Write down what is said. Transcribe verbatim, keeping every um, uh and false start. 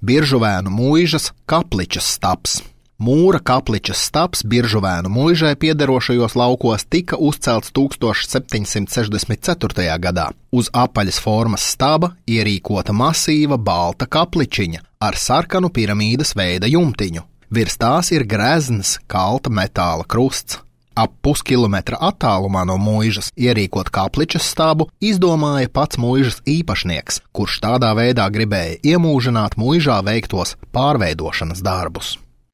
Biržuvēnu muižas Kapličas stabs. Mūra Kapličas stabs Biržuvēnu muižai piederošajos laukos tika uzcelts tūkstoš septiņsimt sešdesmit ceturtajā gadā. Uz apaļas formas staba ierīkota masīva balta kapličiņa ar sarkanu piramīdas veida jumtiņu. Virs tās ir grezns kalta metāla krusts. Ap puskilometra attālumā no muižas ierīkot Kapličas stabu izdomāja pats muižas īpašnieks, kurš tādā veidā gribēja iemūžināt muižā veiktos pārveidošanas darbus.